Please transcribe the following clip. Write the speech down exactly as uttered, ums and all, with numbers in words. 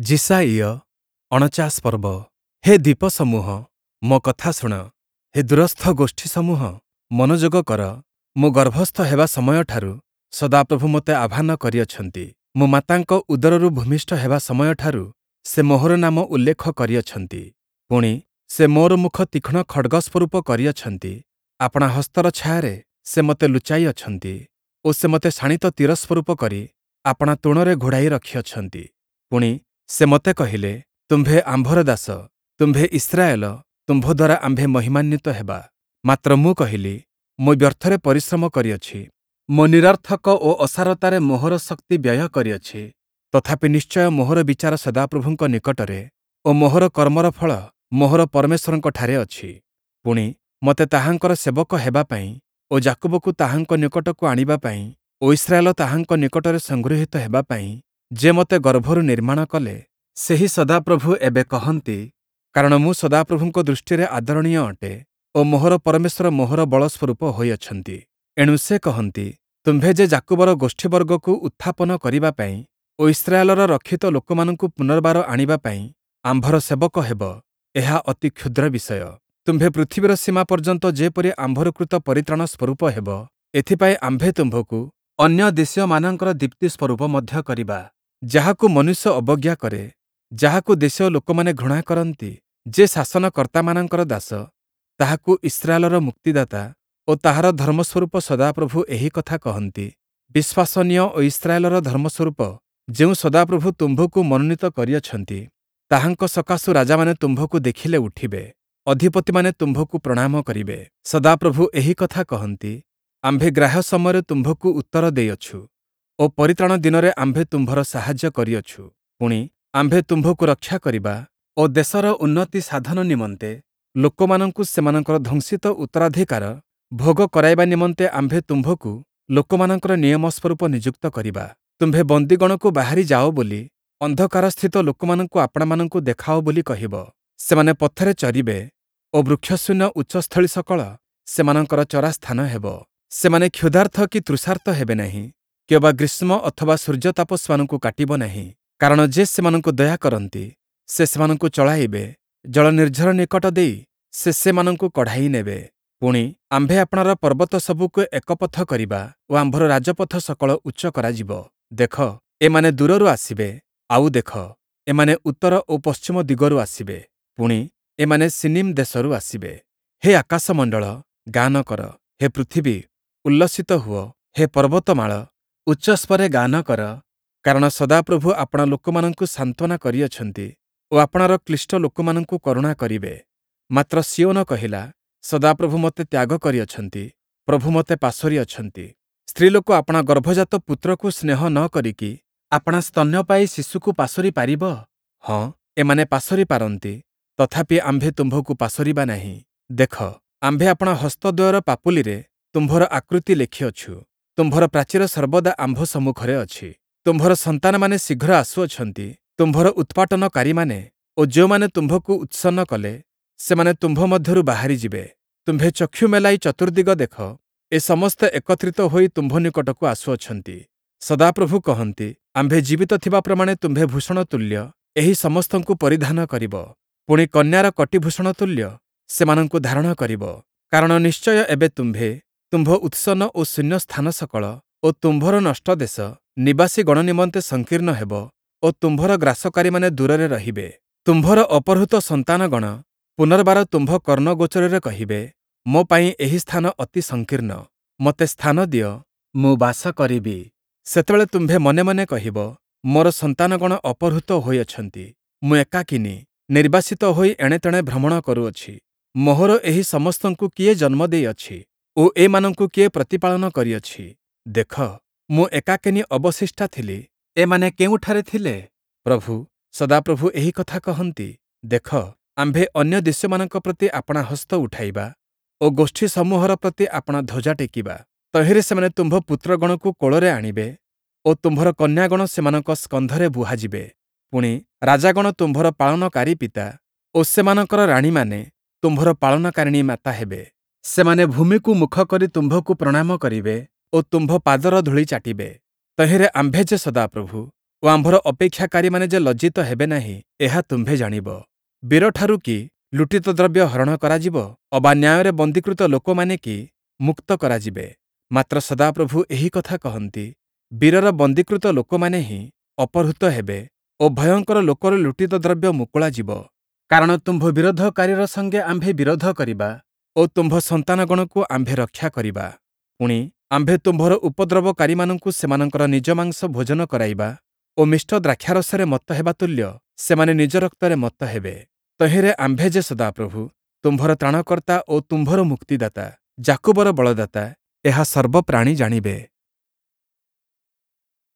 ଯିଶାଇୟ ଅଣଚାଶ ପର୍ବ। ହେ ଦ୍ୱୀପସମୂହ, ମୋ କଥା ଶୁଣ; ହେ ଦୂରସ୍ଥ ଗୋଷ୍ଠୀସମୂହ, ମନୋଯୋଗ କର। ମୁଁ ଗର୍ଭସ୍ଥ ହେବା ସମୟଠାରୁ ସଦାପ୍ରଭୁ ମୋତେ ଆହ୍ୱାନ କରିଅଛନ୍ତି; ମୁଁ ମାତାଙ୍କ ଉଦରରୁ ଭୂମିଷ୍ଠ ହେବା ସମୟଠାରୁ ସେ ମୋହର ନାମ ଉଲ୍ଲେଖ କରିଅଛନ୍ତି। ପୁଣି, ସେ ମୋର ମୁଖ ତୀକ୍ଷ୍ଣ ଖଡ଼୍ଗ ସ୍ୱରୂପ କରିଅଛନ୍ତି; ଆପଣା ହସ୍ତର ଛାୟାରେ ସେ ମୋତେ ଲୁଚାଇ ଅଛନ୍ତି ଓ ସେ ମୋତେ ଶାଣିତ ତୀର ସ୍ୱରୂପ କରି ଆପଣା ତୂଣରେ ଘୋଡ଼ାଇ ରଖିଅଛନ୍ତି। ପୁଣି, ସେ ମୋତେ କହିଲେ, ତୁମ୍ଭେ ଆମ୍ଭର ଦାସ, ତୁମ୍ଭେ ଇସ୍ରାଏଲ, ତୁମ୍ଭ ଦ୍ୱାରା ଆମ୍ଭେ ମହିମାନ୍ୱିତ ହେବା। ମାତ୍ର ମୁଁ କହିଲି, ମୁଁ ବ୍ୟର୍ଥରେ ପରିଶ୍ରମ କରିଅଛି, ମୁଁ ନିରର୍ଥକ ଓ ଅସାରତାରେ ମୋହର ଶକ୍ତି ବ୍ୟୟ କରିଅଛି। ତଥାପି ନିଶ୍ଚୟ ମୋହର ବିଚାର ସଦାପ୍ରଭୁଙ୍କ ନିକଟରେ ଓ ମୋହର କର୍ମର ଫଳ ମୋହର ପରମେଶ୍ୱରଙ୍କଠାରେ ଅଛି। ପୁଣି, ମୋତେ ତାହାଙ୍କର ସେବକ ହେବା ପାଇଁ ଓ ଯାକୁବକୁ ତାହାଙ୍କ ନିକଟକୁ ଆଣିବା ପାଇଁ ଓ ଇସ୍ରାଏଲ ତାହାଙ୍କ ନିକଟରେ ସଂଗୃହୀତ ହେବା ପାଇଁ ଯେ ମୋତେ ଗର୍ଭରୁ ନିର୍ମାଣ କଲେ, ସେହି ସଦାପ୍ରଭୁ ଏବେ କହନ୍ତି, କାରଣ ମୁଁ ସଦାପ୍ରଭୁଙ୍କ ଦୃଷ୍ଟିରେ ଆଦରଣୀୟ ଅଟେ ଓ ମୋହର ପରମେଶ୍ୱର ମୋହର ବଳ ସ୍ୱରୂପ ହୋଇଅଛନ୍ତି। ଏଣୁ ସେ କହନ୍ତି, ତୁମ୍ଭେ ଯେ ଯାକୁବର ଗୋଷ୍ଠୀବର୍ଗକୁ ଉତ୍ଥାପନ କରିବା ପାଇଁ ଓ ଇସ୍ରାଏଲର ରକ୍ଷିତ ଲୋକମାନଙ୍କୁ ପୁନର୍ବାର ଆଣିବା ପାଇଁ ଆମ୍ଭର ସେବକ ହେବ, ଏହା ଅତି କ୍ଷୁଦ୍ର ବିଷୟ। ତୁମ୍ଭେ ପୃଥିବୀର ସୀମା ପର୍ଯ୍ୟନ୍ତ ଯେପରି ଆମ୍ଭର କୃତ ପରିତ୍ରାଣ ସ୍ୱରୂପ ହେବ, ଏଥିପାଇଁ ଆମ୍ଭେ ତୁମ୍ଭକୁ ଅନ୍ୟ ଦେଶୀୟମାନଙ୍କର ଦୀପ୍ତି ସ୍ୱରୂପ ମଧ୍ୟ କରିବା। ଯାହାକୁ ମନୁଷ୍ୟ ଅବଜ୍ଞା କରେ, ଯାହାକୁ ଦେଶୀୟ ଲୋକମାନେ ଘୃଣା କରନ୍ତି, ଯେ ଶାସନକର୍ତ୍ତାମାନଙ୍କର ଦାସ, ତାହାକୁ ଇସ୍ରାଏଲର ମୁକ୍ତିଦାତା ଓ ତାହାର ଧର୍ମସ୍ୱରୂପ ସଦାପ୍ରଭୁ ଏହି କଥା କହନ୍ତି, ବିଶ୍ୱାସନୀୟ ଓ ଇସ୍ରାଏଲର ଧର୍ମସ୍ୱରୂପ ଯେଉଁ ସଦାପ୍ରଭୁ ତୁମ୍ଭକୁ ମନୋନୀତ କରିଅଛନ୍ତି, ତାହାଙ୍କ ସକାଶୁ ରାଜାମାନେ ତୁମ୍ଭକୁ ଦେଖିଲେ ଉଠିବେ, ଅଧିପତିମାନେ ତୁମ୍ଭକୁ ପ୍ରଣାମ କରିବେ। ସଦାପ୍ରଭୁ ଏହି କଥା କହନ୍ତି, ଆମ୍ଭେ ଗ୍ରାହ୍ୟ ସମୟରେ ତୁମ୍ଭକୁ ଉତ୍ତର ଦେଇଅଛୁ ଓ ପରିତ୍ରାଣ ଦିନରେ ଆମ୍ଭେ ତୁମ୍ଭର ସାହାଯ୍ୟ କରିଅଛୁ। ପୁଣି, ଆମ୍ଭେ ତୁମ୍ଭକୁ ରକ୍ଷା କରିବା ଓ ଦେଶର ଉନ୍ନତି ସାଧନ ନିମନ୍ତେ ଲୋକମାନଙ୍କୁ ସେମାନଙ୍କର ଧ୍ୱଂସିତ ଉତ୍ତରାଧିକାର ଭୋଗ କରାଇବା ନିମନ୍ତେ ଆମ୍ଭେ ତୁମ୍ଭକୁ ଲୋକମାନଙ୍କର ନିୟମ ସ୍ୱରୂପ ନିଯୁକ୍ତ କରିବା। ତୁମ୍ଭେ ବନ୍ଦୀଗଣକୁ ବାହାରି ଯାଅ ବୋଲି, ଅନ୍ଧକାରସ୍ଥିତ ଲୋକମାନଙ୍କୁ ଆପଣାମାନଙ୍କୁ ଦେଖାଅ ବୋଲି କହିବ। ସେମାନେ ପଥରେ ଚରିବେ ଓ ବୃକ୍ଷଶୂନ୍ୟ ଉଚ୍ଚସ୍ଥଳୀ ସକଳ ସେମାନଙ୍କର ଚରାସ୍ଥାନ ହେବ। ସେମାନେ କ୍ଷୁଧାର୍ତ୍ତ କି ତୃଷାର୍ତ୍ତ ହେବେ ନାହିଁ, କିଅବା ଗ୍ରୀଷ୍ମ ଅଥବା ସୂର୍ଯ୍ୟତାପ ସେମାନଙ୍କୁ କାଟିବ ନାହିଁ। କାରଣ ଯେ ସେମାନଙ୍କୁ ଦୟା କରନ୍ତି, ସେ ସେମାନଙ୍କୁ ଚଳାଇବେ, ଜଳନିର୍ଝର ନିକଟ ଦେଇ ସେ ସେମାନଙ୍କୁ କଢ଼ାଇ ନେବେ। ପୁଣି, ଆମ୍ଭେ ଆପଣାର ପର୍ବତ ସବୁକୁ ଏକପଥ କରିବା ଓ ଆମ୍ଭର ରାଜପଥ ସକଳ ଉଚ୍ଚ କରାଯିବ। ଦେଖ, ଏମାନେ ଦୂରରୁ ଆସିବେ, ଆଉ ଦେଖ, ଏମାନେ ଉତ୍ତର ଓ ପଶ୍ଚିମ ଦିଗରୁ ଆସିବେ। ପୁଣି, ଏମାନେ ସିନିମ୍ ଦେଶରୁ ଆସିବେ। ହେ ଆକାଶମଣ୍ଡଳ, ଗାନ କର; ହେ ପୃଥିବୀ, ଉଲ୍ଲସିତ ହୁଅ; ହେ ପର୍ବତମାଳ, ଉଚ୍ଚସ୍ୱରେ ଗାନ କର; କାରଣ ସଦାପ୍ରଭୁ ଆପଣା ଲୋକମାନଙ୍କୁ ସାନ୍ତ୍ୱନା କରିଅଛନ୍ତି ଓ ଆପଣାର କ୍ଳିଷ୍ଟ ଲୋକମାନଙ୍କୁ କରୁଣା କରିବେ। ମାତ୍ର ସିୟୋନ କହିଲା, ସଦାପ୍ରଭୁ ମୋତେ ତ୍ୟାଗ କରିଅଛନ୍ତି, ପ୍ରଭୁ ମୋତେ ପାସୋରି ଅଛନ୍ତି। ସ୍ତ୍ରୀଲୋକ ଆପଣା ଗର୍ଭଜାତ ପୁତ୍ରକୁ ସ୍ନେହ ନ କରିକି ଆପଣା ସ୍ତନ୍ୟପାୟୀ ଶିଶୁକୁ ପାସୋରି ପାରିବ? ହଁ, ଏମାନେ ପାସୋରି ପାରନ୍ତି, ତଥାପି ଆମ୍ଭେ ତୁମ୍ଭକୁ ପାସୋରିବା ନାହିଁ। ଦେଖ, ଆମ୍ଭେ ଆପଣା ହସ୍ତଦ୍ୱୟର ପାପୁଲିରେ ତୁମ୍ଭର ଆକୃତି ଲେଖିଅଛୁ; ତୁମ୍ଭର ପ୍ରାଚୀର ସର୍ବଦା ଆମ୍ଭ ସମ୍ମୁଖରେ ଅଛି। ତୁମ୍ଭର ସନ୍ତାନମାନେ ଶୀଘ୍ର ଆସୁଅଛନ୍ତି, ତୁମ୍ଭର ଉତ୍ପାଟନକାରୀମାନେ ଓ ଯେଉଁମାନେ ତୁମ୍ଭକୁ ଉତ୍ସନ୍ନ କଲେ, ସେମାନେ ତୁମ୍ଭ ମଧ୍ୟରୁ ବାହାରିଯିବେ। ତୁମ୍ଭେ ଚକ୍ଷୁ ମେଲାଇ ଚତୁର୍ଦ୍ଦିଗ ଦେଖ, ଏ ସମସ୍ତେ ଏକତ୍ରିତ ହୋଇ ତୁମ୍ଭ ନିକଟକୁ ଆସୁଅଛନ୍ତି। ସଦାପ୍ରଭୁ କହନ୍ତି, ଆମ୍ଭେ ଜୀବିତ ଥିବା ପ୍ରମାଣେ ତୁମ୍ଭେ ଭୂଷଣ ତୁଲ୍ୟ ଏହି ସମସ୍ତଙ୍କୁ ପରିଧାନ କରିବ, ପୁଣି କନ୍ୟାର କଟିଭୂଷଣ ତୁଲ୍ୟ ସେମାନଙ୍କୁ ଧାରଣ କରିବ। କାରଣ ନିଶ୍ଚୟ ଏବେ ତୁମ୍ଭେ, ତୁମ୍ଭ ଉତ୍ସନ୍ନ ଓ ଶୂନ୍ୟ ସ୍ଥାନ ସକଳ ଓ ତୁମ୍ଭର ନଷ୍ଟ ଦେଶ ନିବାସୀଗଣ ନିମନ୍ତେ ସଂକୀର୍ଣ୍ଣ ହେବ ଓ ତୁମ୍ଭର ଗ୍ରାସକାରୀମାନେ ଦୂରରେ ରହିବେ। ତୁମ୍ଭର ଅପହୃତ ସନ୍ତାନଗଣ ପୁନର୍ବାର ତୁମ୍ଭ କର୍ଣ୍ଣଗୋଚରରେ କହିବେ, ମୋ ପାଇଁ ଏହି ସ୍ଥାନ ଅତି ସଂକୀର୍ଣ୍ଣ, ମୋତେ ସ୍ଥାନ ଦିଅ, ମୁଁ ବାସ କରିବି। ସେତେବେଳେ ତୁମ୍ଭେ ମନେ ମନେ କହିବ, ମୋର ସନ୍ତାନଗଣ ଅପହୃତ ହୋଇଅଛନ୍ତି, ମୁଁ ଏକାକିନୀ ନିର୍ବାସିତ ହୋଇ ଏଣେତେଣେ ଭ୍ରମଣ କରୁଅଛି। ମୋହର ଏହି ସମସ୍ତଙ୍କୁ କିଏ ଜନ୍ମ ଦେଇଅଛି ଓ ଏମାନଙ୍କୁ କିଏ ପ୍ରତିପାଳନ କରିଅଛି? ଦେଖ, ମୁଁ ଏକାକିନୀ ଅବଶିଷ୍ଟା ଥିଲି, ଏମାନେ କେଉଁଠାରେ ଥିଲେ? ପ୍ରଭୁ, ସଦାପ୍ରଭୁ ଏହି କଥା କହନ୍ତି, ଦେଖ, ଆମ୍ଭେ ଅନ୍ୟ ଦେଶୀୟମାନଙ୍କ ପ୍ରତି ଆପଣା ହସ୍ତ ଉଠାଇବା ଓ ଗୋଷ୍ଠୀସମୂହର ପ୍ରତି ଆପଣା ଧ୍ୱଜା ଟେକିବା। ତହିଁରେ ସେମାନେ ତୁମ୍ଭ ପୁତ୍ରଗଣକୁ କୋଳରେ ଆଣିବେ ଓ ତୁମ୍ଭର କନ୍ୟାଗଣ ସେମାନଙ୍କ ସ୍କନ୍ଧରେ ବୁହାଯିବେ। ପୁଣି, ରାଜାଗଣ ତୁମ୍ଭର ପାଳନକାରୀ ପିତା ଓ ସେମାନଙ୍କର ରାଣୀମାନେ ତୁମ୍ଭର ପାଳନକାରିଣୀ ମାତା ହେବେ। ସେମାନେ ଭୂମିକୁ ମୁଖ କରି ତୁମ୍ଭକୁ ପ୍ରଣାମ କରିବେ ଓ ତୁମ୍ଭ ପାଦର ଧୂଳି ଚାଟିବେ। ତହିଁରେ ଆମ୍ଭେ ଯେ ସଦାପ୍ରଭୁ ଓ ଆମ୍ଭର ଅପେକ୍ଷାକାରୀମାନେ ଯେ ଲଜ୍ଜିତ ହେବେ ନାହିଁ, ଏହା ତୁମ୍ଭେ ଜାଣିବ। ବୀରଠାରୁ କି ଲୁଟିତ ଦ୍ରବ୍ୟ ହରଣ କରାଯିବ? ଅବା ନ୍ୟାୟରେ ବନ୍ଦୀକୃତ ଲୋକମାନେ କି ମୁକ୍ତ କରାଯିବେ? ମାତ୍ର ସଦାପ୍ରଭୁ ଏହି କଥା କହନ୍ତି, ବୀରର ବନ୍ଦୀକୃତ ଲୋକମାନେ ହିଁ ଅପହୃତ ହେବେ ଓ ଭୟଙ୍କର ଲୋକର ଲୁଟିତ ଦ୍ରବ୍ୟ ମୁକୁଳାଯିବ। କାରଣ ତୁମ୍ଭ ବିରୋଧକାରୀର ସଙ୍ଗେ ଆମ୍ଭେ ବିରୋଧ କରିବା ଓ ତୁମ୍ଭ ସନ୍ତାନଗଣକୁ ଆମ୍ଭେ ରକ୍ଷା କରିବା। ପୁଣି, ଆମ୍ଭେ ତୁମ୍ଭର ଉପଦ୍ରବକାରୀମାନଙ୍କୁ ସେମାନଙ୍କର ନିଜ ମାଂସ ଭୋଜନ କରାଇବା ଓ ମିଷ୍ଟ ଦ୍ରାକ୍ଷାରସରେ ମତ୍ତ ହେବା ତୁଲ୍ୟ ସେମାନେ ନିଜ ରକ୍ତରେ ମତ୍ତ ହେବେ। ତହିଁରେ ଆମ୍ଭେ ଯେ ସଦାପ୍ରଭୁ, ତୁମ୍ଭର ତ୍ରାଣକର୍ତ୍ତା ଓ ତୁମ୍ଭର ମୁକ୍ତିଦାତା, ଯାକୁବର ବଳଦାତା, ଏହା ସର୍ବପ୍ରାଣୀ ଜାଣିବେ।